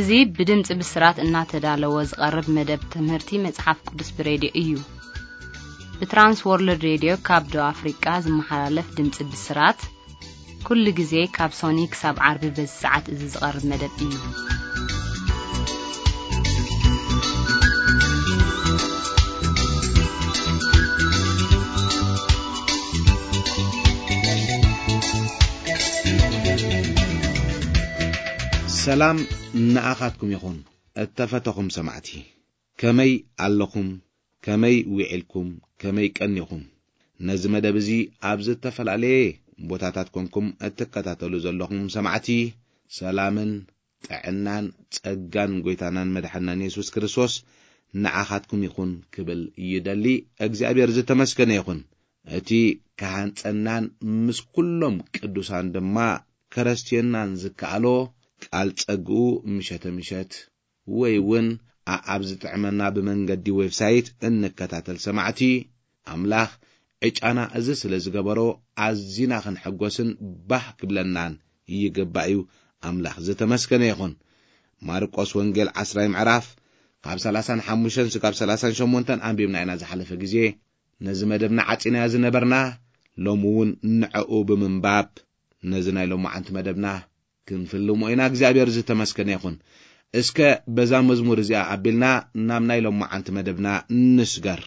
እዚ ብድምፂ ብስራት እናተዳለወ ዝቐርብ መደብ ትምህርቲ መፅሓፍ ቅዱስ ብሬድዮ እዩ። ብትራንስ ወርልድ ሬድዮ ካብ ደቡብ ኣፍሪቃ ዝመሓላለፍ ድምፂ ብስራት ኩሉ ግዜ ካብ ሶኒ ክሳብ ዓርቢ በዚ ሰዓት እዚ ዝቐርብ መደብ እዩ። ሰላም ንኣኻትኩም ይኹን። እተፈተኹም ሰማዕቲ፣ ከመይ ኣለኹም? ከመይ ውዒልኩም? ከመይ ቀኒኹም? ነዚ መደብ እዚ ኣብ ዝተፈላለየ ቦታታት ኮንኩም እትከታተሉ ዘለኹም ሰማዕቲ፣ ሰላምን ጥዕናን ጸጋን ጎይታናን መድሓናን የሱስ ክርስቶስ ንዓኻትኩም ይኹን ክብል ይደሊ። እግዚኣብሔር ዝተመስገነ ይኹን። እቲ ክሃንጸናን ምስ ኩሎም ቅዱሳን ድማ ከረስትየናን ዝከኣሎ ቃል ጸግኡ ምሸተ ምሸት ወይ እውን ኣኣብ ዝጥዕመና ብመንገዲ ዌብሳይት እንከታተል ሰማዕቲ፣ ኣምላኽ ዕጫና እዚ ስለ ዝገበሮ ኣዚና ክንሕጎስን ባህ ክብለናን ይግባእ እዩ። ኣምላኽ ዝተመስገነ ይኹን። ማርቆስ ወንጌል ዓስራይ ምዕራፍ ካብ ሰላሳን ሓሙሽተን ስጋብ ሰላሳን ሸሞንተን ኣንቢብና ኢና ዝሓለፈ ግዜ። ነዚ መደብና ዓጺናዮ ዝነበርና፣ ሎሚ እውን ንዕኡ ብምንባብ ነዚ ናይ ሎማዓንቲ መደብና ክንፍልሞ ኢና። እግዚኣብሔር ዝተመስገነ ይኹን። እስከ በዛ መዝሙር እዚኣ ኣቢልና ናብ ናይ ሎማዓንቲ መደብና ንስገር።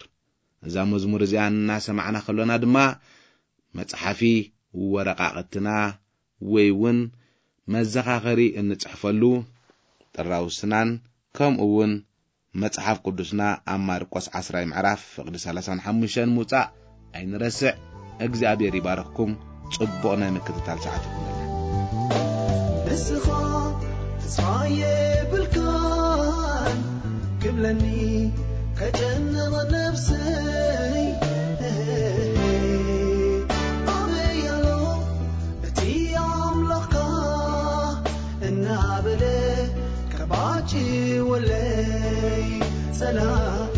እዛ መዝሙር እዚኣ እናሰማዕና ከሎና ድማ መጽሓፊ ወረቓቕትና ወይ እውን መዘኻኸሪ እንጽሕፈሉ ጥራውስናን ከምኡ እውን መጽሓፍ ቅዱስና ኣብ ማርቆስ ዓስራይ ምዕራፍ ፍቕዲ ሰላሳን ሓሙሽተን ምውጻእ ኣይንረስዕ። እግዚኣብሔር ይባርኽኩም። ጽቡቕ ናይ ምክትታል ሰዓት ይኹነልና። ንስኻ ተስፋ የብልካን ክብለኒ ከጨነቐ ነፍሰይ፣ ኣበይ ኣሎ እቲ ኣምላኽካ እናበለ ከባጭወለይ ጸላኢ፣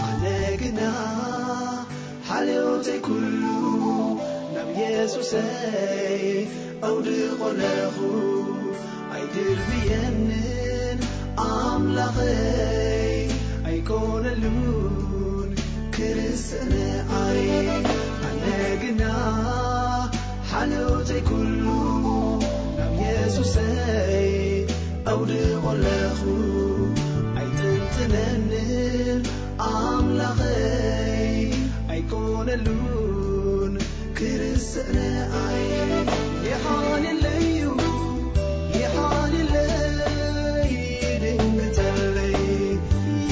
ኣነ ግና ሓልዮተይ ኩሉ ናብ የሱሰይ ኣውድቖ ኣለኹ። ኣይድርብየንን ኣምላኸይ ኣይኮነሉን ክርስትንኣይ፣ ኣነ ግና ሓልዮተይ ኩሉ ናብ የሱሰይ ኣውድቖ ኣለኹ። ኣይጥንጥነንን ኣምላኸይ ኣይኮነሉን ክርስትንኣይ፣ ይሓልለዩ ይሓልለይ ይድንግጸለይ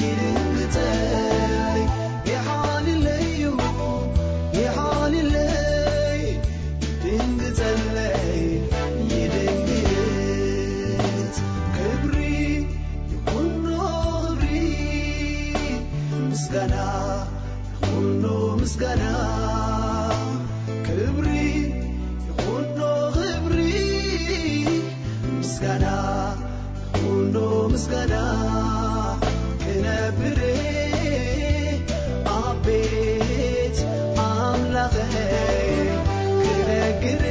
ይድንግጸለይ፣ ይሓልለዩ ይሓልለይ ይድንግጸለይ ይድንግጽ። ክብሪ ይኹኖ ክብሪ ምስጋና ይኹኖ ምስጋና፣ ክብሪ ይኹኖ ክብሪ ምስጋና ይኹኖ ምስጋና፣ ክነብር ኣብ ቤት ኣምላኸይ ክነግር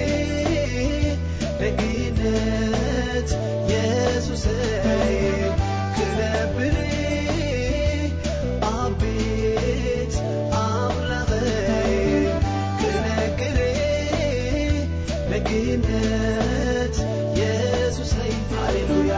ደግነት የሱሰይ፣ ክነብር ኣብ ቤት ኣምላኸይ ክነግር ደግነት የሱሰይ። ሃሌሉያ።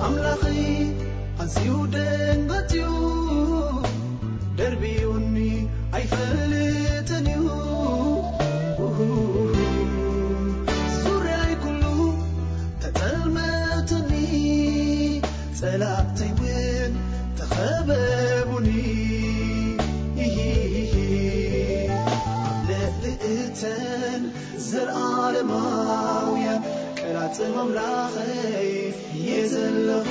ኣምላኸይ ኣዝዩ ደንገጽዩ ደርብዩኒ ኣይፈልጥን እዩ። ዙርያይ ኩሉ ተጸልመትኒ፣ ጸላእተይ እውን ተኸበቡኒ። ኣብ ልዕሊ እተን ዘለኣለማውያን ቀላጽም ኣምላኸይ እየ ዘለኹ።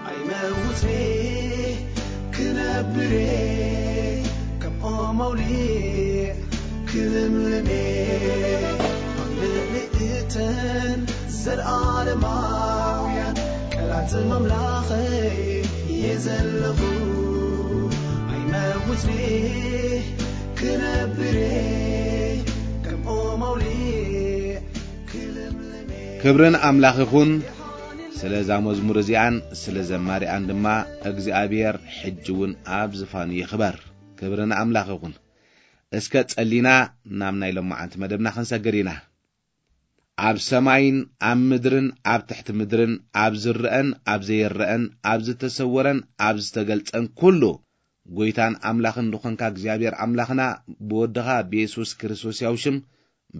ኣይ መውትሬ ክነብሬ ከም ኦም ኣውሊዕ ክልምልሜ ኣብ ልዕሊ እተን ዘልኣለማውያን ቃላት ኣምላኸይ እየ ዘለኹ። ኣይመውትሬ ክነብሬ ከም ኦም ኣውሊዕ ክልምልሜ። ክብርን ኣምላኽ ይኹን። ስለ እዛ መዝሙር እዚኣን ስለ ዘማሪኣን ድማ እግዚኣብሔር ሕጂ እውን ኣብ ዝፋኑ ይኽበር። ክብሪ ንኣምላኽ ይኹን። እስከ ጸሊና ናብ ናይ ሎማዓንቲ መደብና ክንሰግር ኢና። ኣብ ሰማይን ኣብ ምድርን ኣብ ትሕቲ ምድርን ኣብ ዝረአን ኣብ ዘይረአን ኣብ ዝተሰወረን ኣብ ዝተገልጸን ኩሉ ጎይታን ኣምላኽን ዝኾንካ እግዚኣብሔር ኣምላኽና ብወድኻ ብየሱስ ክርስቶስ ያው ሽም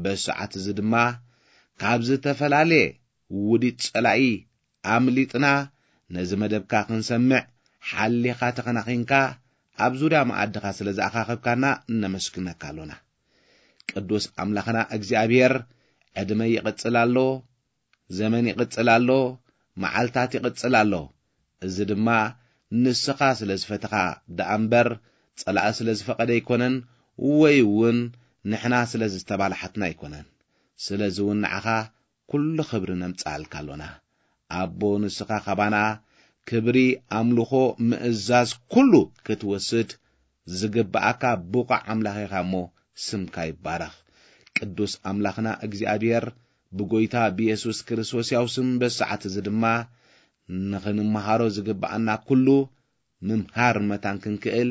በሰዓት እዚ ድማ ካብ ዝተፈላለየ ውዲት ጸላኢ ኣምሊጥና ነዚ መደብካ ክንሰምዕ ሓሊኻ ተኸናኺንካ ኣብ ዙርያ መኣድኻ ስለ ዝኣኻኸብካና እነመስግነካ ኣሎና። ቅዱስ ኣምላኽና እግዚኣብሔር ዕድመ ይቕጽል ኣሎ፣ ዘመን ይቕጽል ኣሎ፣ መዓልታት ይቕጽል ኣሎ። እዚ ድማ ንስኻ ስለ ዝፈተኻ ደኣ እምበር ጸላኢ ስለ ዝፈቐደ ኣይኮነን፣ ወይ እውን ንሕና ስለ ዝተባላሓትና ኣይኮነን። ስለዚ እውን ንዓኻ ኩሉ ክብሪ ነምጽኣልካ ኣሎና። ኣቦ ንስኻ ካባና ክብሪ፣ ኣምልኾ፣ ምእዛዝ ኩሉ ክትወስድ ዝግብኣካ ብቑዕ ኣምላኽ ኢኻ እሞ ስምካ ይባረኽ። ቅዱስ ኣምላኽና እግዚኣብሔር ብጎይታ ብየሱስ ክርስቶስ ያው ስም በሰዓት እዚ ድማ ንኽንመሃሮ ዝግብኣና ኩሉ ምምሃር መታን ክንክእል፣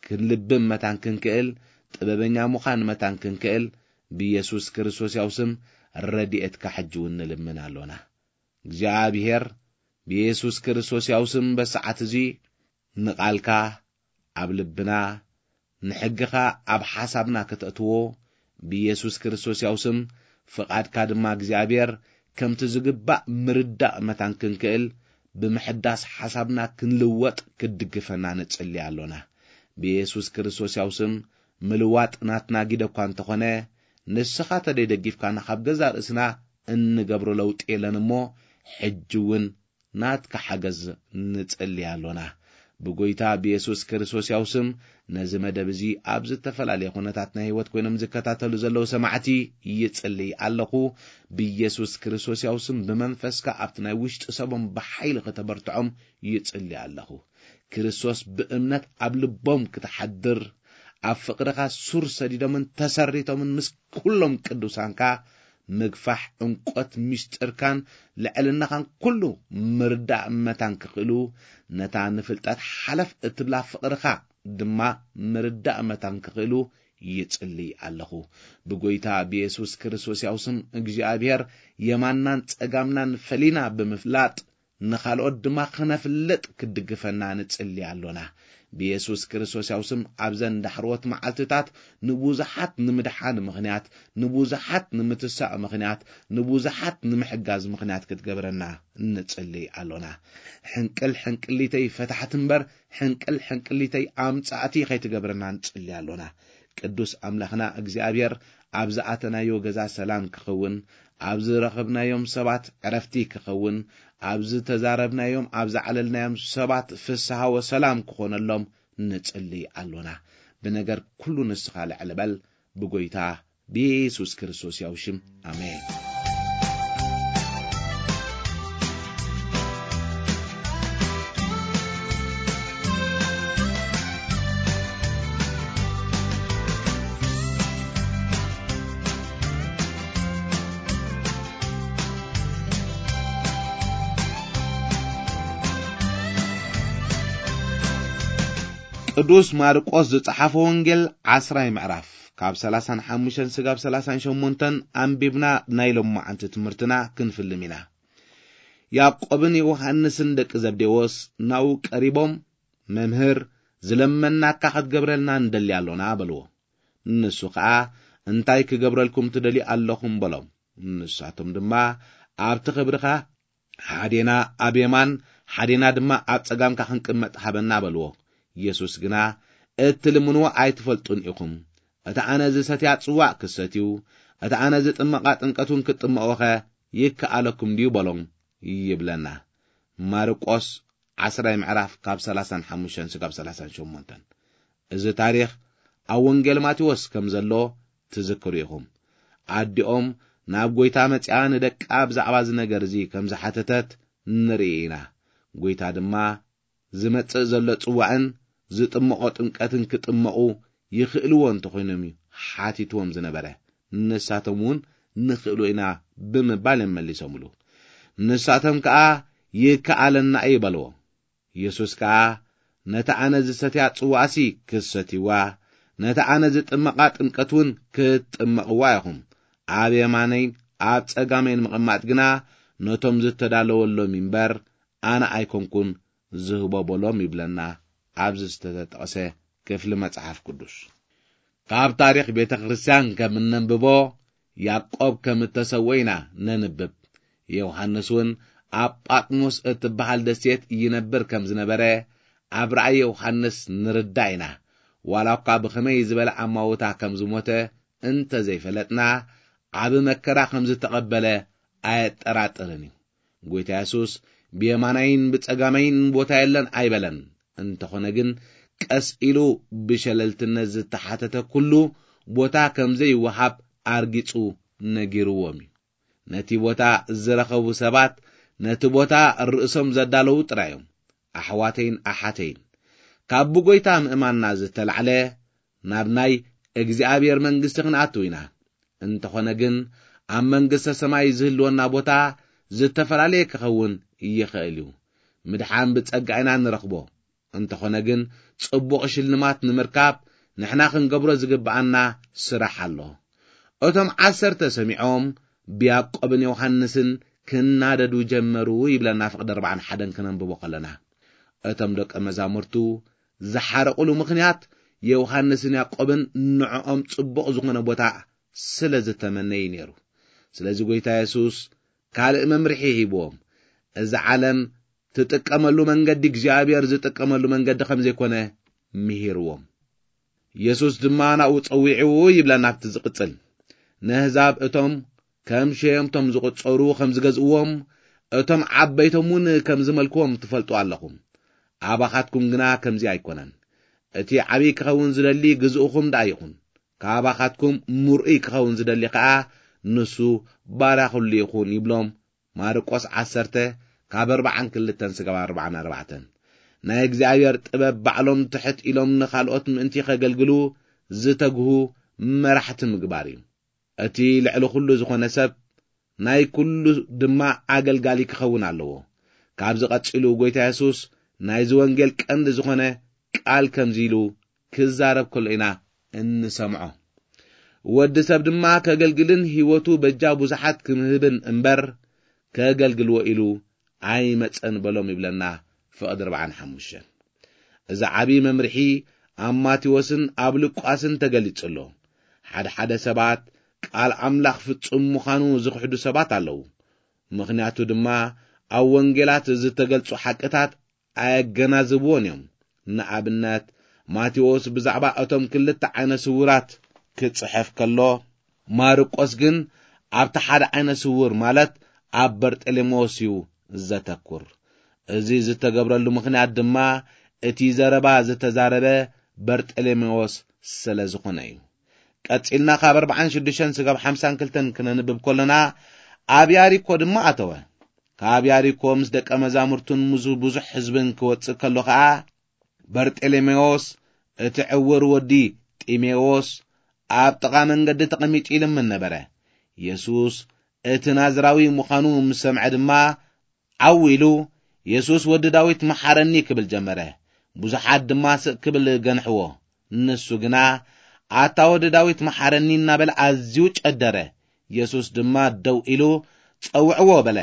ክንልብም መታን ክንክእል፣ ጥበበኛ ምዃን መታን ክንክእል ብየሱስ ክርስቶስ ያው ስም ረድኤትካ ሕጂ እውን ንልምን ኣሎና። እግዚኣብሔር ብየሱስ ክርስቶስ ያው ስም በሰዓት እዚ ንቓልካ ኣብ ልብና ንሕግኻ ኣብ ሓሳብና ከተእትዎ ብየሱስ ክርስቶስ ያው ስም ፍቓድካ ድማ እግዚኣብሔር ከምቲ ዝግባእ ምርዳእ መታን ክንክእል ብምሕዳስ ሓሳብና ክንልወጥ ክትድግፈና ንጽሊ ኣሎና። ብየሱስ ክርስቶስ ያው ስም ምልዋጥ ናትና ጊደ እኳ እንተኾነ ንስኻ ተደይደጊፍካና ካብ ገዛ ርእስና እንገብሮ ለውጢ የለን እሞ ሕጂ እውን ናትካ ሓገዝ ንጽሊ ኣሎና። ብጎይታ ብየሱስ ክርስቶስ ያው ስም ነዚ መደብ እዚ ኣብ ዝተፈላለየ ኩነታት ናይ ህይወት ኮይኖም ዝከታተሉ ዘለዉ ሰማዕቲ ይጽልይ ኣለኹ። ብየሱስ ክርስቶስ ያው ስም ብመንፈስካ ኣብቲ ናይ ውሽጢ ሰቦም ብሓይሊ ከተበርትዖም ይጽልይ ኣለኹ። ክርስቶስ ብእምነት ኣብ ልቦም ክትሓድር ኣብ ፍቕርኻ ሱር ሰዲዶምን ተሰሪቶምን ምስ ኩሎም ቅዱሳንካ ምግፋሕ ዕንቆት ምስጢርካን ልዕልናኻን ኩሉ ምርዳእ መታን ክኽእሉ ነታ ንፍልጠት ሓለፍ እትብላ ፍቕርኻ ድማ ምርዳእ መታን ክኽእሉ ይጽልይ ኣለኹ። ብጎይታ ብየሱስ ክርስቶስ ያው ስም እግዚኣብሔር የማንናን ጸጋምናን ፈሊና ብምፍላጥ ንኻልኦት ድማ ክነፍልጥ ክትድግፈና ንጽሊ ኣሎና። ብየሱስ ክርስቶስ ያው ስም ኣብዘን ዳሕሮት መዓልትታት ንብዙሓት ንምድሓን ምኽንያት፣ ንብዙሓት ንምትሳእ ምኽንያት፣ ንብዙሓት ንምሕጋዝ ምኽንያት ክትገብረና ንጽሊ ኣሎና። ሕንቅል ሕንቅሊተይ ፈታሕቲ እምበር ሕንቅል ሕንቅሊተይ ኣምጻእቲ ከይትገብረና ንጽሊ ኣሎና። ቅዱስ ኣምላኽና እግዚኣብሔር ኣብ ዝኣተናዮ ገዛ ሰላም ክኸውን፣ ኣብ ዝረኸብናዮም ሰባት ዕረፍቲ ክኸውን፣ ኣብ ዝተዛረብናዮም ኣብ ዘዕለልናዮም ሰባት ፍስሃ ወሰላም ክኾነሎም ንጽሊ ኣሎና። ብነገር ኩሉ ንስኻ ልዕል በል፣ ብጎይታ ብየሱስ ክርስቶስ ያው ሽም ኣሜን። ቅዱስ ማርቆስ ዝጸሓፎ ወንጌል ዓስራይ ምዕራፍ ካብ ሰላሳን ሓሙሽተን ስጋብ ሰላሳን ሸሞንተን ኣንቢብና ናይ ሎማዓንቲ ትምህርትና ክንፍልም ኢና። ያዕቆብን ዮሃንስን ደቂ ዘብዴዎስ ናብኡ ቀሪቦም፣ "መምህር፣ ዝለመናካ ክትገብረልና ንደሊ ኣሎና" በልዎ። ንሱ ኸኣ፣ "እንታይ ክገብረልኩም ትደልዩ ኣለኹም?" በሎም። ንሳቶም ድማ፣ "ኣብቲ ክብርኻ ሓዴና ኣብ የማን፣ ሓዴና ድማ ኣብ ጸጋምካ ክንቅመጥ ሃበና" በልዎ። የሱስ ግና፣ "እትልምንዎ ኣይትፈልጡን ኢኹም። እቲ ኣነ ዝሰትያ ጽዋእ ክትሰትዩ፣ እቲ ኣነ ዝጥመቓ ጥምቀት እውን ክትጥመቑኸ ይከኣለኩም ድዩ?" በሎም ይብለና። ማርቆስ ዓስራይ ምዕራፍ ካብ ሰላሳን ሓሙሽተን ስጋብ ሰላሳን ሸሞንተን። እዚ ታሪኽ ኣብ ወንጌል ማቴዎስ ከም ዘሎ ትዝክሩ ኢኹም። ኣዲኦም ናብ ጐይታ መጺኣ ንደቃ ብዛዕባ እዚ ነገር እዚ ከም ዝሓተተት ንርኢ ኢና። ጐይታ ድማ ዝመጽእ ዘሎ ጽዋዕን ዝጥምቖ ጥምቀትን ክጥመቑ ይኽእልዎ እንተኾይኖም እዩ ሓቲትዎም ዝነበረ። ንሳቶም እውን ንኽእሎ ኢና ብምባል እዮም መሊሶምሉ። ንሳቶም ከኣ ይከኣለና እዩ በልዎ። ኢየሱስ ከኣ ነታ ኣነ ዝሰትያ ጽዋዕሲ ክትሰትይዋ፣ ነታ ኣነ ዝጥመቓ ጥምቀት እውን ክትጥመቕዋ ኢኹም። ኣብ የማነይን ኣብ ጸጋመይን ምቕማጥ ግና ነቶም ዝተዳለወሎም እምበር ኣነ ኣይኮንኩን ዝህቦ በሎም ይብለና ኣብዚ ዝተጠቕሰ ክፍሊ መጽሓፍ ቅዱስ። ካብ ታሪኽ ቤተ ክርስቲያን ከም እነንብቦ ያዕቆብ ከም እተሰወ ኢና ነንብብ። ዮሃንስ እውን ኣብ ጳጥሞስ እትበሃል ደሴት ይነብር ከም ዝነበረ ኣብ ራእይ ዮሃንስ ንርዳእ ኢና። ዋላ እኳ ብኸመይ ዝበለ ኣማውታ ከም ዝሞተ እንተ ዘይፈለጥና፣ ዓቢ መከራ ከም ዝተቐበለ ኣየጠራጥርን እዩ። ጐይታ የሱስ ብየማናይን ብጸጋማይን ቦታ የለን ኣይበለን። እንተኾነ ግን ቀስ ኢሉ ብሸለልትነት ዝተሓተተ ኩሉ ቦታ ከም ዘይወሃብ ኣርጊጹ ነጊርዎም እዩ። ነቲ ቦታ ዝረኸቡ ሰባት ነቲ ቦታ ርእሶም ዘዳለዉ ጥራይ እዮም። ኣሕዋተይን ኣሓተይን፣ ካብ ብጐይታ ምእማንና ዝተላዕለ ናብ ናይ እግዚኣብሔር መንግስቲ ክንኣቱ ኢና። እንተኾነ ግን ኣብ መንግስተ ሰማይ ዝህልወና ቦታ ዝተፈላለየ ክኸውን ይኽእል እዩ። ምድሓን ብጸጋ ኢና ንረኽቦ። እንተኾነ ግን ጽቡቕ ሽልማት ንምርካብ ንሕና ክንገብሮ ዝግብኣና ስራሕ ኣሎ። እቶም ዓሰርተ ሰሚዖም ብያዕቆብን ዮሃንስን ክናደዱ ጀመሩ ይብለና ፍቕዲ ኣርባዓን ሓደን ክነንብቦ ከለና። እቶም ደቀ መዛሙርቱ ዝሓረቑሉ ምኽንያት ዮሃንስን ያዕቆብን ንዕኦም ጽቡቕ ዝኾነ ቦታ ስለ ዝተመነዩ ነይሩ። ስለዚ ጐይታ የሱስ ካልእ መምርሒ ሂብዎም። እዛ ዓለም ትጥቀመሉ መንገዲ እግዚኣብሔር ዝጥቀመሉ መንገዲ ከም ዘይኮነ ምሂርዎም። የሱስ ድማ ናብኡ ጸዊዕዎ ይብለና ኣብቲ ዝቕጽል። ነህዛብ እቶም ከም ሸየምቶም ዝቑጸሩ ከም ዝገዝእዎም፣ እቶም ዓበይቶም እውን ከም ዝመልክዎም ትፈልጡ ኣለኹም። ኣባኻትኩም ግና ከምዚ ኣይኮነን። እቲ ዓብዪ ክኸውን ዝደሊ ግዝእኹም ደኣ ይኹን። ካባኻትኩም ምርኡይ ክኸውን ዝደሊ ኸኣ ንሱ ባርያ ኹሉ ይኹን ይብሎም። ማርቆስ ዓሰርተ ካብ ኣርባዓን ክልተን ስጋብ ኣርባዓን ኣርባዕተን። ናይ እግዚኣብሔር ጥበብ ባዕሎም ትሕት ኢሎም ንኻልኦት ምእንቲ ኸገልግሉ ዝተግሁ መራሕቲ ምግባር እዩ። እቲ ልዕሊ ኹሉ ዝኾነ ሰብ ናይ ኩሉ ድማ ኣገልጋሊ ክኸውን ኣለዎ። ካብዚ ቀጺሉ ጐይታ የሱስ ናይዚ ወንጌል ቀንዲ ዝኾነ ቃል ከምዚ ኢሉ ክዛረብ ከሎ ኢና እንሰምዖ። ወዲ ሰብ ድማ ከገልግልን ህይወቱ በጃ ብዙሓት ክምህብን እምበር ከገልግልዎ ኢሉ ኣይመጸን በሎም ይብለና ፍቕዲ ኣርባዓን ሓሙሽተን። እዚ ዓብዪ መምርሒ ኣብ ማቴዎስን ኣብ ሉቃስን ተገሊጹ ኣሎ። ሓደ ሓደ ሰባት ቃል ኣምላኽ ፍጹም ምዃኑ ዝኽሕዱ ሰባት ኣለዉ። ምኽንያቱ ድማ ኣብ ወንጌላት ዝተገልጹ ሓቅታት ኣየገናዝብዎን እዮም። ንኣብነት ማቴዎስ ብዛዕባ እቶም ክልተ ዓይነ ስውራት ክጽሕፍ ከሎ፣ ማርቆስ ግን ኣብቲ ሓደ ዓይነ ስውር ማለት ኣብ በርጠሌሜዎስ እዩ ዘተኩር። እዚ ዝተገብረሉ ምኽንያት ድማ እቲ ዘረባ ዝተዛረበ በርጠሌሜዎስ ስለ ዝኾነ እዩ። ቀጺልና ካብ ኣርባዓን ሽዱሽተን ስጋብ ሓምሳን ክልተን ክነንብብ ከለና፣ ኣብ ያሪኮ ድማ ኣተወ። ካብ ያሪኮ ምስ ደቀ መዛሙርቱን ምስ ብዙሕ ህዝብን ክወጽእ ከሎ ኸኣ፣ በርጤሌሜዎስ እቲ ዕውር ወዲ ጢሜዎስ ኣብ ጥቓ መንገዲ ተቐሚጡ ይልምን ነበረ። የሱስ እቲ ናዝራዊ ምዃኑ ምስ ሰምዐ ድማ ዓው ኢሉ፣ "የሱስ ወዲ ዳዊት መሓረኒ" ክብል ጀመረ። ብዙሓት ድማ ስቕ ክብል ገንሕዎ። ንሱ ግና፣ "ኣታ ወዲ ዳዊት መሓረኒ" እናበለ ኣዝዩ ጨደረ። የሱስ ድማ ደው ኢሉ፣ "ጸውዕዎ" በለ።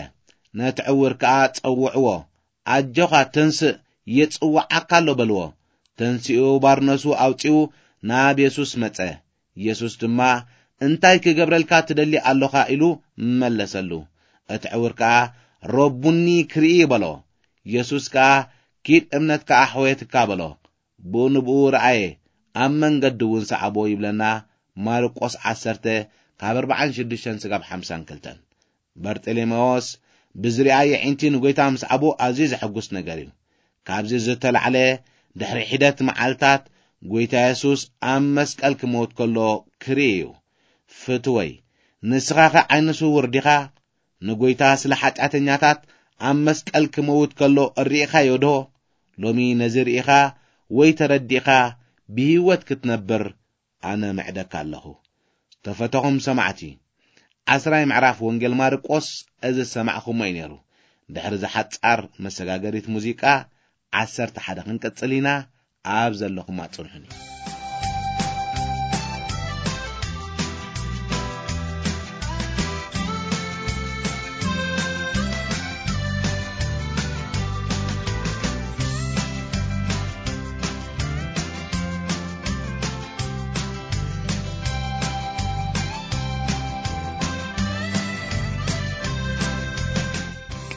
ነቲ ዕውር ከኣ ጸውዕዎ። "ኣጆኻ ተንስእ፣ ይጽውዓካ ኣሎ" በልዎ። ተንሲኡ ባርነሱ ኣውጺኡ ናብ የሱስ መጸ። የሱስ ድማ፣ "እንታይ ክገብረልካ ትደሊ ኣሎኻ?" ኢሉ መለሰሉ። እቲ ዕውር ከኣ፣ "ረቡኒ ክርኢ" በሎ። የሱስ ከኣ፣ "ኪድ እምነትካ ኣሕወየትካ" በሎ። ብኡ ንብኡ ረኣየ፣ ኣብ መንገዲ እውን ሰዓቦ ይብለና ማርቆስ ዓሰርተ ካብ ኣርባዓን ሽዱሽተን ስጋብ ሓምሳን ክልተን። በርጤሌሜዎስ ብዝሪኣ የዒንቲ ንጎይታ ምስዓቡ ኣዝዩ ዘሐጉስ ነገር እዩ። ካብዚ ዝተላዕለ ድሕሪ ሒደት መዓልታት ጎይታ የሱስ ኣብ መስቀል ክመውት ከሎ ክርኢ እዩ። ፍትወይ፣ ንስኻ ኸ ዓይነ ስውር ዲኻ? ንጎይታ ስለ ሓጢኣተኛታት ኣብ መስቀል ክመውት ከሎ ርኢኻዮ ዶ? ሎሚ ነዚ ርኢኻ ወይ ተረዲእኻ ብህይወት ክትነብር ኣነ ምዕደካ ኣለኹ። ተፈተኹም ሰማዕቲ፣ ዓስራይ ምዕራፍ ወንጌል ማርቆስ እዚ ዝሰማዕኹሞ እዩ ነይሩ። ድሕሪ እዛ ሓጻር መሰጋገሪት ሙዚቃ ዓሰርተ ሓደ ክንቅጽል ኢና። ኣብ ዘለኹም ኣጽንሑኒ።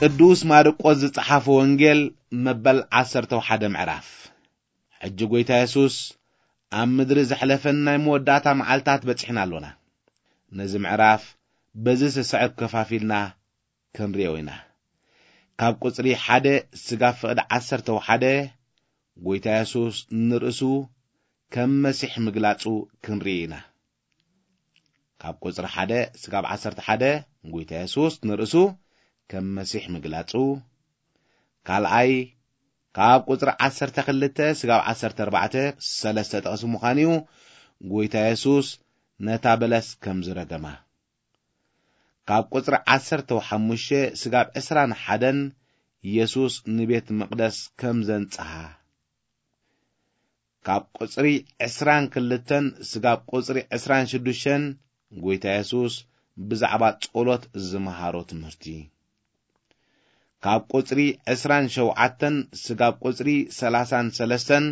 ቅዱስ ማርቆስ ዝጸሓፎ ወንጌል መበል ዓሰርተ ሓደ ምዕራፍ። ሕጂ ጐይታ የሱስ ኣብ ምድሪ ዘሕለፈን ናይ መወዳእታ መዓልታት በጺሕና ኣሎና። ነዚ ምዕራፍ በዚ ዝስዕብ ከፋፊልና ክንርእዮ ኢና። ካብ ቁጽሪ ሓደ ስጋብ ፍቕዲ ዓሰርተ ሓደ ጐይታ የሱስ ንርእሱ ከም መሲሕ ምግላጹ ክንርኢ ኢና። ካብ ቁጽሪ ሓደ ስጋብ ዓሰርተ ሓደ ጐይታ የሱስ ንርእሱ ከም መሲሕ ምግላጹ፣ ካልኣይ ካብ ቁጽሪ ዓሰርተ ክልተ ስጋብ ዓሰርተ ኣርባዕተ፣ ሰለስተ ጥቕሲ ምዃኑ እዩ፣ ጐይታ የሱስ ነታ በለስ ከም ዝረገማ። ካብ ቁጽሪ ዓሰርተ ሓሙሽተ ስጋብ ዕስራን ሓደን የሱስ ንቤት መቕደስ ከም ዘንጽሃ። ካብ ቁጽሪ ዕስራን ክልተን ስጋብ ቁጽሪ ዕስራን ሽዱሽተን ጐይታ የሱስ ብዛዕባ ጸሎት ዝመሃሮ ትምህርቲ። ካብ ቁጽሪ ዕስራን ሸውዓተን ስጋብ ቁጽሪ ሰላሳን ሰለስተን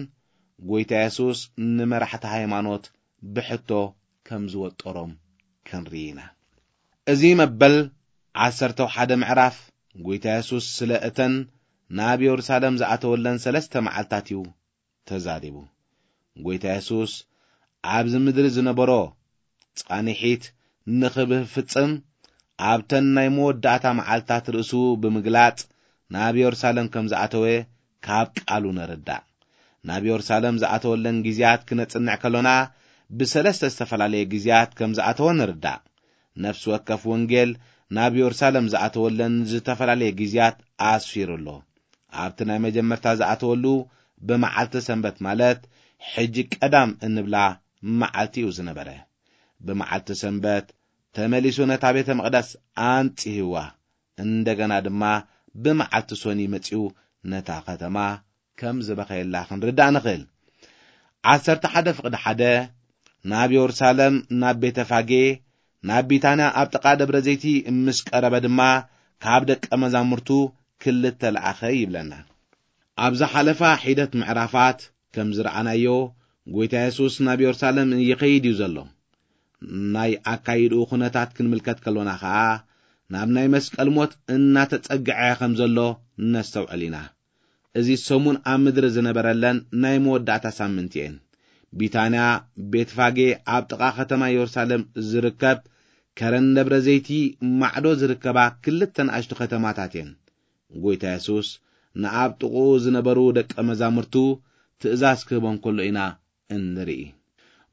ጐይታ የሱስ ንመራሕቲ ሃይማኖት ብሕቶ ከም ዝወጠሮም ክንርኢ ኢና። እዚ መበል ዓሰርተ ሓደ ምዕራፍ ጐይታ የሱስ ስለ እተን ናብ የሩሳሌም ዝኣተወለን ሰለስተ መዓልታት እዩ ተዛሪቡ። ጐይታ የሱስ ኣብዚ ምድሪ ዝነበሮ ጻንሒት ንኽፍጽም ኣብተን ናይ መወዳእታ መዓልታት ርእሱ ብምግላጽ ናብ የሩሳሌም ከም ዝኣተወ ካብ ቃሉ ንርዳእ። ናብ የሩሳሌም ዝኣተወለን ግዜያት ክነጽንዕ ከሎና ብሰለስተ ዝተፈላለየ ግዜያት ከም ዝኣተወ ንርዳእ። ነፍሲ ወከፍ ወንጌል ናብ የሩሳሌም ዝኣተወለን ዝተፈላለየ ግዜያት ኣስፊሩ ኣሎ። ኣብቲ ናይ መጀመርታ ዝኣተወሉ ብመዓልቲ ሰንበት ማለት ሕጂ ቀዳም እንብላ መዓልቲ እዩ ዝነበረ። ብመዓልቲ ሰንበት ተመሊሱ ነታ ቤተ መቕደስ ኣንጽህዋ። እንደገና ድማ ብመዓልቲ ሶኒ መጺኡ ነታ ከተማ ከም ዝበኸየላ ክንርዳእ ንኽእል። ዓሰርተ ሓደ ፍቕዲ ሓደ ናብ የሩሳሌም፣ ናብ ቤተ ፋጌ፣ ናብ ቢታንያ ኣብ ጥቓ ደብረ ዘይቲ ምስ ቀረበ ድማ ካብ ደቀ መዛሙርቱ ክልተ ለኣኸ ይብለና። ኣብ ዝሓለፋ ሒደት ምዕራፋት ከም ዝረኣናዮ፣ ጐይታ የሱስ ናብ የሩሳሌም ይኸይድ እዩ ዘሎ። ናይ ኣካይድኡ ኵነታት ክንምልከት ከሎና ኸኣ፣ ናብ ናይ መስቀል ሞት እናተጸግዐ ከም ዘሎ ነስተውዕል ኢና። እዚ ሰሙን ኣብ ምድሪ ዝነበረለን ናይ መወዳእታ ሳምንት እየን። ቢታንያ፣ ቤትፋጌ፣ ኣብ ጥቓ ከተማ የሩሳሌም ዝርከብ ከረን ደብረ ዘይቲ ማዕዶ ዝርከባ ክልተ ንኣሽቱ ከተማታት እየን። ጐይታ የሱስ ንኣብ ጥቕኡ ዝነበሩ ደቀ መዛሙርቱ ትእዛዝ ክህቦም ከሎ ኢና እንርኢ።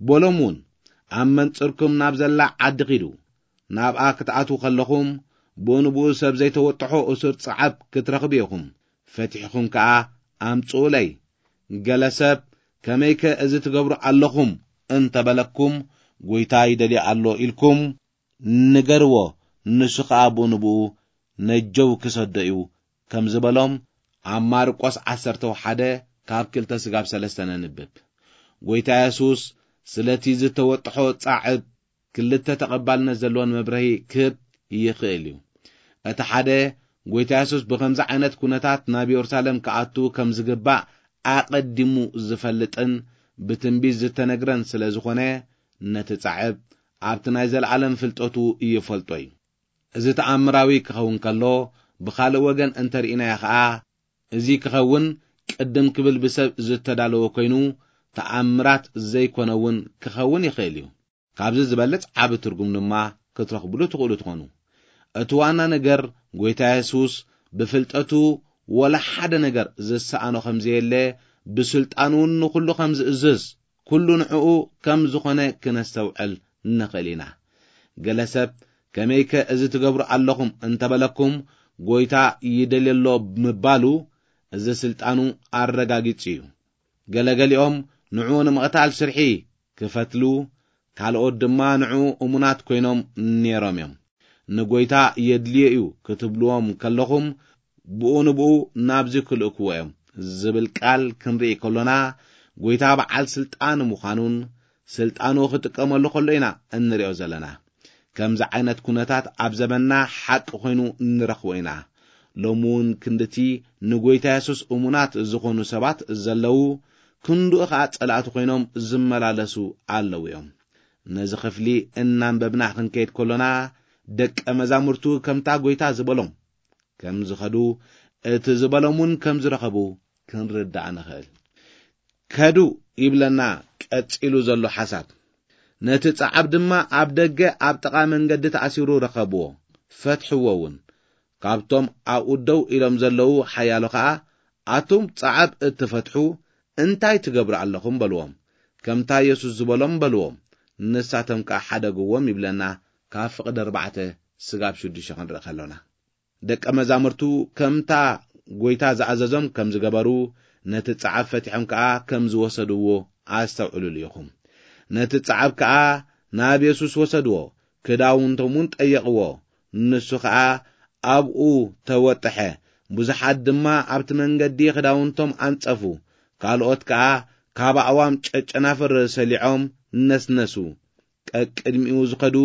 በሎም እውን፣ ኣብ መንጽርኩም ናብ ዘላ ዓዲ ኺዱ። ናብኣ ክትኣትዉ ከለኹም፣ ብኡ ንብኡ ሰብ ዘይተወጥሖ እሱር ጸዓብ ክትረኽቡ ኢኹም። ፈቲሕኹም ከኣ ኣምጽኡለይ። ገለ ሰብ፣ ከመይከ እዚ ትገብሩ ኣለኹም እንተ በለኩም፣ ጐይታ ይደልዮ ኣሎ ኢልኩም ንገርዎ፣ ንሱ ኸኣ ብኡ ንብኡ ነጀው ክሰዶ እዩ ከም ዝበሎም ኣብ ማርቆስ ዓሰርተ ሓደ ካብ ክልተ ስጋብ ሰለስተ ነንብብ። ጐይታ የሱስ ስለቲ ዝተወጥሖ ጻዕብ ክልተ ተቐባልነት ዘለዎን መብርሂ ክህብ ይኽእል እዩ። እቲ ሓደ፣ ጐይታ የሱስ ብኸምዚ ዓይነት ኵነታት ናብ የሩሳሌም ክኣቱ ከም ዝግባእ ኣቐዲሙ ዝፈልጥን ብትንቢት ዝተነግረን ስለ ዝኾነ፣ ነቲ ጻዕብ ኣብቲ ናይ ዘለኣለም ፍልጠቱ ይፈልጦ እዩ። እዚ ተኣምራዊ ክኸውን ከሎ፣ ብኻልእ ወገን እንተ ርኢናዮ ኸኣ፣ እዚ ክኸውን ቅድም ክብል ብሰብ ዝተዳለወ ኮይኑ፣ ተኣምራት ዘይኮነ እውን ክኸውን ይኽእል እዩ። ካብዚ ዝበልጽ ዓቢ ትርጉም ድማ ክትረኽብሉ ትኽእሉ ትኾኑ። እቲ ዋና ነገር፣ ጐይታ የሱስ ብፍልጠቱ ወላ ሓደ ነገር ዝሰኣኖ ከም ዘየለ፣ ብስልጣን እውን ንኹሉ ከም ዝእዝዝ፣ ኩሉ ንዕኡ ከም ዝኾነ ክነስተውዕል ንኽእል ኢና። ገለ ሰብ፣ "ከመይከ እዚ ትገብሩ ኣለኹም?" እንተበለኩም፣ "ጎይታ ይደልየሎ" ምባሉ፣ እዚ ስልጣኑ ኣረጋጊጹ እዩ። ገለገሊኦም ንዕኡ ንምቕታል ስርሒ ክፈትሉ፣ ካልኦት ድማ ንዕኡ እሙናት ኮይኖም ነይሮም እዮም። "ንጎይታ የድልዮ እዩ" ክትብልዎም ከለኹም፣ "ብኡ ንብኡ ናብዚ ክልእክዎ እዮም" ዝብል ቃል ክንርኢ ከሎና፣ ጎይታ በዓል ስልጣን ምዃኑን ስልጣኑ ክጥቀመሉ ከሎ ኢና እንሪኦ ዘለና። ከምዚ ዓይነት ኩነታት ኣብ ዘመንና ሓቂ ኮይኑ ንረኽቦ ኢና። ሎሚ እውን ክንድቲ ንጎይታ የሱስ እሙናት ዝኾኑ ሰባት ዘለዉ፣ ክንድኡ ኸኣ ጸላእቲ ኮይኖም ዝመላለሱ ኣለዉ እዮም። ነዚ ክፍሊ እናንበብና ክንከይድ ከሎና፣ ደቀ መዛሙርቱ ከምታ ጎይታ ዝበሎም ከም ዝኸዱ፣ እቲ ዝበሎም እውን ከም ዝረኸቡ ክንርዳእ ንኽእል። "ከዱ" ይብለና ቀጺሉ ዘሎ ሓሳብ። "ነቲ ጸዓብ ድማ ኣብ ደገ ኣብ ጥቓ መንገዲ ተኣሲሩ ረኸብዎ፣ ፈትሕዎ እውን። ካብቶም ኣብኡ ደው ኢሎም ዘለዉ ሓያሎ ኸኣ፣ 'ኣቱም ጸዓብ እትፈትሑ፣ እንታይ ትገብሩ ኣለኹም?' በልዎም። ከምታ የሱስ ዝበሎም በልዎም፣ ንሳቶም ከኣ ሓደግዎም" ይብለና፣ ካብ ፍቕዲ ኣርባዕተ ስጋብ ሽዱሽተ ክንርኢ ከሎና። ደቀ መዛሙርቱ ከምታ ጎይታ ዝኣዘዞም ከም ዝገበሩ፣ ነቲ ጸዓብ ፈቲሖም ከኣ ከም ዝወሰድዎ ኣስተውዕሉሉ ኢኹም። ነቲ ጸዓብ ከኣ ናብ የሱስ ወሰድዎ፣ ክዳውንቶም እውን ጠየቕዎ። ንሱ ኸኣ ኣብኡ ተወጥሐ። ብዙሓት ድማ ኣብቲ መንገዲ ክዳውንቶም ኣንጸፉ። ካልኦት ከኣ ካብ ኣእዋም ጨጨናፍር ሰሊዖም ነስነሱ። ቀቅድሚኡ ዝኸዱ፣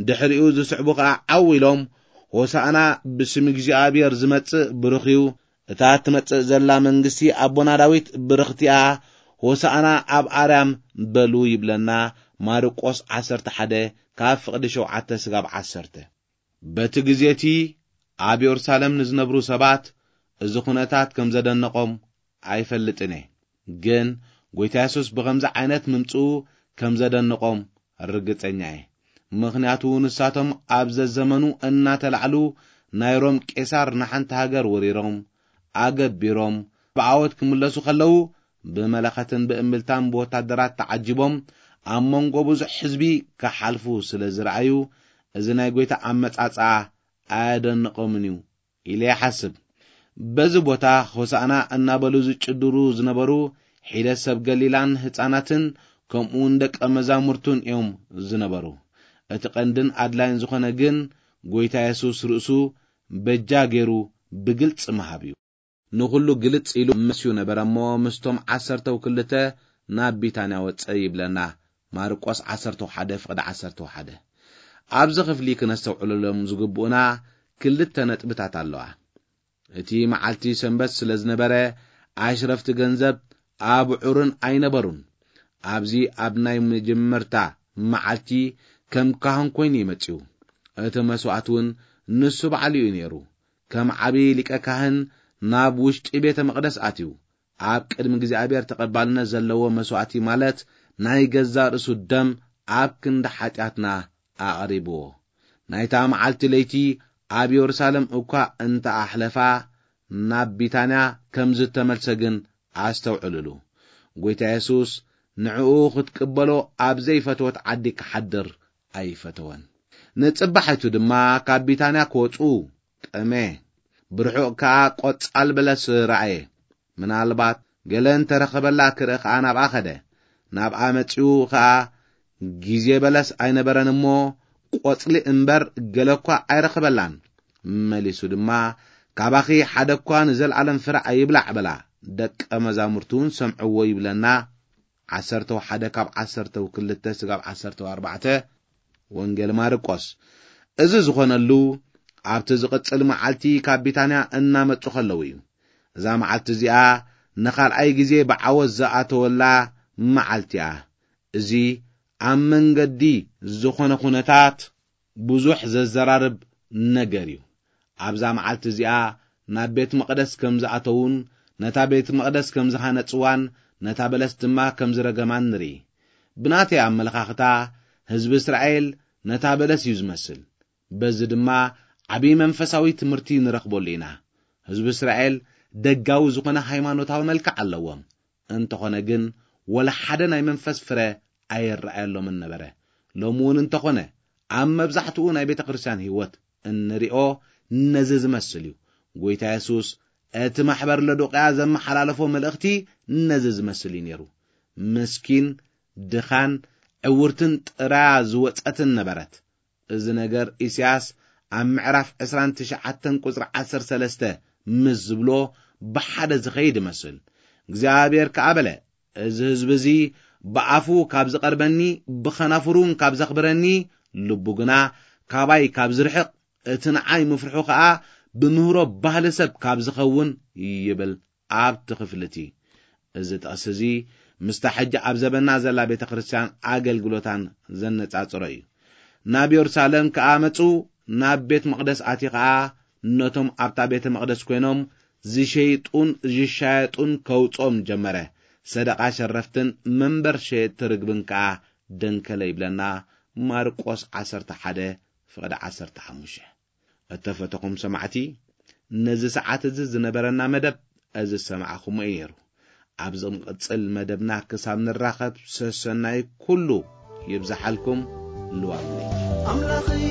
ድሕሪኡ ዝስዕቡ ኸኣ ዓው ኢሎም፣ "ሆሳዕና፣ ብስም እግዚኣብሔር ዝመጽእ ብሩኽ እዩ፣ እታ ትመጽእ ዘላ መንግስቲ ኣቦና ዳዊት ብርኽቲ እያ፣ ሆሳዕና ኣብ ኣርያም" በሉ ይብለና። ማርቆስ ዓሰርተ ሓደ ካብ ፍቕዲ ሸውዓተ ስጋብ ዓሰርተ። በቲ ግዜ እቲ ኣብ የሩሳሌም ንዝነብሩ ሰባት እዚ ኩነታት ከም ዘደነቖም ኣይፈልጥን እየ። ግን ጎይታ የሱስ ብኸምዚ ዓይነት ምምጽኡ ከም ዘደንቖም ርግጸኛ እየ። ምኽንያቱ ንሳቶም ኣብ ዘዘመኑ እናተላዕሉ ናይ ሮም ቄሳር ንሓንቲ ሃገር ወሪሮም ኣገቢሮም ብዓወት ክምለሱ ከለዉ ብመለኸትን ብእምብልታን ብወታደራት ተዓጂቦም ኣብ መንጎ ብዙሕ ህዝቢ ክሓልፉ ስለ ዝረኣዩ እዚ ናይ ጎይታ ኣመጻጽኣ ኣየደንቖምን እዩ ኢለ ይሓስብ። በዚ ቦታ ሆሳዕና እናበሉ ዝጭድሩ ዝነበሩ ሒደት ሰብ ገሊላን ህፃናትን ከምኡውን ደቀ መዛሙርቱን እዮም ዝነበሩ። እቲ ቀንድን ኣድላይን ዝኾነ ግን ጎይታ የሱስ ርእሱ በጃ ገይሩ ብግልፂ ምሃብ እዩ። ንኹሉ ግልጽ ኢሉ መስዩ ነበረ እሞ ምስቶም ዓሰርተው ክልተ ናብ ቢታንያ ወጸ ይብለና። ማርቆስ ዓሰርተው ሓደ ፍቕዲ ዓሰርተው ሓደ። ኣብዚ ክፍሊ ክነስተውዕለሎም ዝግብኡና ክልተ ነጥብታት ኣለዋ። እቲ መዓልቲ ሰንበት ስለ ዝነበረ ኣሽረፍቲ ገንዘብ ኣብዑርን ኣይነበሩን። ኣብዚ ኣብ ናይ መጀመርታ መዓልቲ ከም ካህን ኮይኑ እዩ መጺኡ። እቲ መስዋእቲ እውን ንሱ ባዕሉ እዩ ነይሩ። ከም ዓቢ ሊቀ ካህን ናብ ውሽጢ ቤተ መቕደስ ኣትዩ ኣብ ቅድሚ እግዚኣብሔር ተቐባልነት ዘለዎ መስዋእቲ ማለት ናይ ገዛ ርእሱ ደም ኣብ ክንዲ ሓጢኣትና ኣቕሪብዎ። ናይታ መዓልቲ ለይቲ ኣብ የሩሳሌም እኳ እንተ ኣሕለፋ ናብ ቢታንያ ከም ዝተመልሰ ግን ኣስተውዕሉሉ። ጎይታ የሱስ ንዕኡ ክትቅበሎ ኣብ ዘይፈተወት ዓዲ ክሓድር ኣይፈተወን። ንጽባሒቱ ድማ ካብ ቢታንያ ክወጹ ጠመ። ብርሑቕ ከኣ ቆጻል በለስ ረኣየ። ምናልባት ገለ እንተረኸበላ ክርኢ ከኣ ናብኣ ኸደ። ናብኣ መጺኡ ኸኣ ግዜ በለስ ኣይነበረን እሞ ቆጽሊ እምበር ገለ እኳ ኣይረኸበላን። መሊሱ ድማ ካባኺ ሓደ እኳ ንዘለኣለም ፍረ ኣይብላዕ በላ። ደቀ መዛሙርቱ እውን ሰምዕዎ ይብለና። ዓሰርተው ሓደ ካብ ዓሰርተው ክልተ ስጋብ ዓሰርተው ኣርባዕተ ወንጌል ማርቆስ። እዚ ዝኾነሉ ኣብቲ ዝቕጽል መዓልቲ ካብ ቢታንያ እናመጹ ከለዉ እዩ። እዛ መዓልቲ እዚኣ ንኻልኣይ ግዜ ብዓወት ዝኣተወላ መዓልቲ እያ። እዚ ኣብ መንገዲ ዝኾነ ኩነታት ብዙሕ ዘዘራርብ ነገር እዩ። ኣብዛ መዓልቲ እዚኣ ናብ ቤት መቕደስ ከም ዝኣተዉን ነታ ቤት መቕደስ ከም ዝሃነጽዋን ነታ በለስ ድማ ከም ዝረገማን ንርኢ። ብናተይ ኣመለኻኽታ ህዝቢ እስራኤል ነታ በለስ እዩ ዝመስል። በዚ ድማ ዓቢ መንፈሳዊ ትምህርቲ ንረኽበሉ ኢና። ህዝቢ እስራኤል ደጋዊ ዝኾነ ሃይማኖታዊ መልክዕ ኣለዎም። እንተኾነ ግን፣ ወላ ሓደ ናይ መንፈስ ፍረ ኣይረኣየሎምን ነበረ። ሎሚ እውን እንተኾነ፣ ኣብ መብዛሕትኡ ናይ ቤተ ክርስቲያን ህይወት እንሪኦ ነዚ ዝመስል እዩ። ጎይታ የሱስ እቲ ማሕበር ለዶቅያ ዘመሓላለፎ መልእኽቲ ነዚ ዝመስል እዩ ነይሩ። ምስኪን፣ ድኻን፣ ዕውርትን ጥራያ ዝወጸትን ነበረት። እዚ ነገር ኢሳያስ ኣብ ምዕራፍ ዕስራን ትሽዓተን ቁጽሪ ዓሰርተ ሰለስተ ምስ ዝብሎ ብሓደ ዝኸይድ ይመስል። እግዚኣብሔር ከኣ በለ፣ "እዚ ህዝቢ እዚ ብኣፉ ካብ ዝቐርበኒ፣ ብኸናፍሩን ካብ ዘኽብረኒ፣ ልቡ ግና ካባይ ካብ ዝርሕቕ፣ እቲ ንዓይ ምፍርሑ ከኣ ብምህሮ ባህሊ ሰብ ካብ ዝኸውን" ይብል ኣብቲ ክፍሊ እቲ። እዚ ጥቕሲ እዚ ምስታ ሕጂ ኣብ ዘበና ዘላ ቤተ ክርስቲያን ኣገልግሎታን ዘነጻጽሮ እዩ። ናብ የሩሳሌም ከኣ መጹ፣ ናብ ቤት መቕደስ ኣትዩ ኸኣ ነቶም ኣብታ ቤተ መቕደስ ኮይኖም ዝሸይጡን ዝሻየጡን ከውጾም ጀመረ። ሰደቓ ሸረፍትን መንበር ሸየጥቲ ርግብን ከኣ ደንከለ ይብለና ማርቆስ ዓሰርተ ሓደ ፍቕዲ ዓሰርተ ሓሙሽተ። እተፈተኹም ሰማዕቲ፣ ነዚ ሰዓት እዚ ዝነበረና መደብ እዚ ዝሰማዕኹሞ እዩ ነይሩ። ኣብ ዝቕጽል መደብና ክሳብ ንራኸብ ሰሰናይ ኩሉ ይብዝሓልኩም። ልዋም ለይቲ። ኣምላኸይ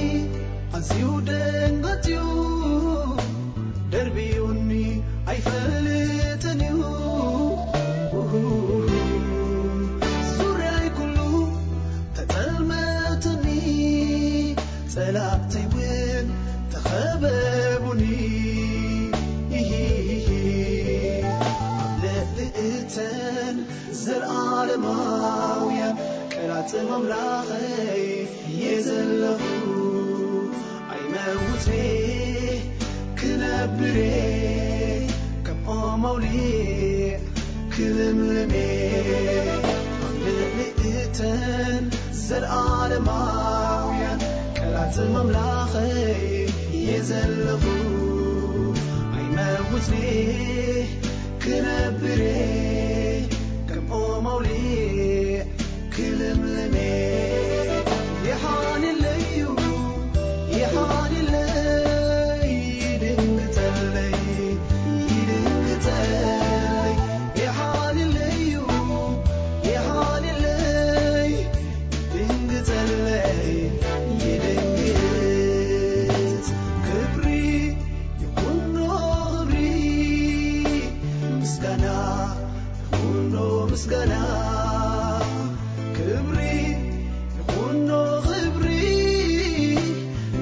ኣዝዩ ደንገጽዩ፣ ደርብዩኒ ኣይፈልጥን እዩ። ዙርያይ ኩሉ ተጸልመትኒ፣ ጸላእተይ እውን ተኸበቡኒ። ኣብ ልዕሊ እተን ዘለኣለማውያን ቀላጽም ኣምላኸይ እየ ዘለኹ። ኣይመውትኔ ክነብሬ ከም ኦም ኣውሊዕ ክልምልሜ ኣብ ልዕሊ እተን ዘለኣለማውያን ቀላጽም ኣምላኸይ እየ ዘለኹ። ኣይመውትኔ ክነብሬ ከም ኦም ኣውሊዕ ክልምልሜ። ይሓልለዩ፣ ይሓልለይ፣ ይድንግጸለይ፣ ይድንግጸለይ። ይሓልለዩ፣ ይሓልለይ፣ ይድንግጸለይ፣ ይድንግጽ። ክብሪ ይኹኖ ክብሪ፣ ምስጋና ይኹኖ ምስጋና። ክብሪ ይኹኖ ክብሪ፣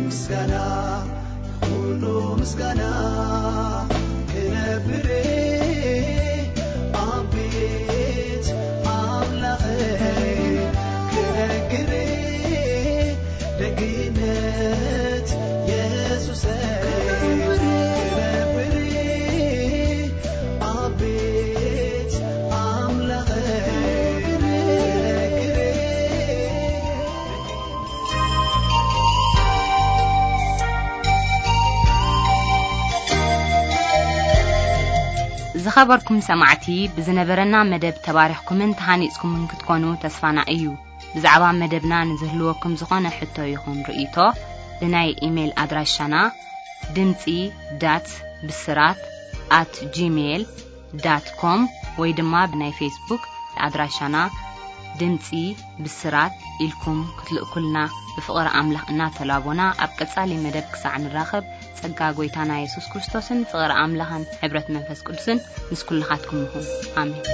ምስጋና ይኹኖ ምስጋና። ክነብሬ ኣብ ቤት ኣምላኸይ ክነግሬ ደግነት የሱሰይ ክነብሬ ኣብ ቤት ኣምላኸይ ክነግሬ። ዝኸበርኩም ሰማዕቲ፣ ብዝነበረና መደብ ተባሪኽኩምን ተሃኒጽኩምን ክትኮኑ ተስፋና እዩ። ብዛዕባ መደብና ንዝህልወኩም ዝኾነ ሕቶ ይኹን ርእይቶ፣ ብናይ ኢሜይል ኣድራሻና ድምጺ ዳት ብስራት ኣት ጂሜይል ዳት ኮም ወይ ድማ ብናይ ፌስቡክ ኣድራሻና ድምጺ ብስራት ኢልኩም ክትልእኩልና ብፍቕሪ ኣምላኽ እናተላቦና፣ ኣብ ቀጻሊ መደብ ክሳዕ ንራኸብ፣ ጸጋ ጐይታና የሱስ ክርስቶስን ፍቕሪ ኣምላኽን ሕብረት መንፈስ ቅዱስን ምስ ኩልኻትኩም ይኹን። ኣሜን።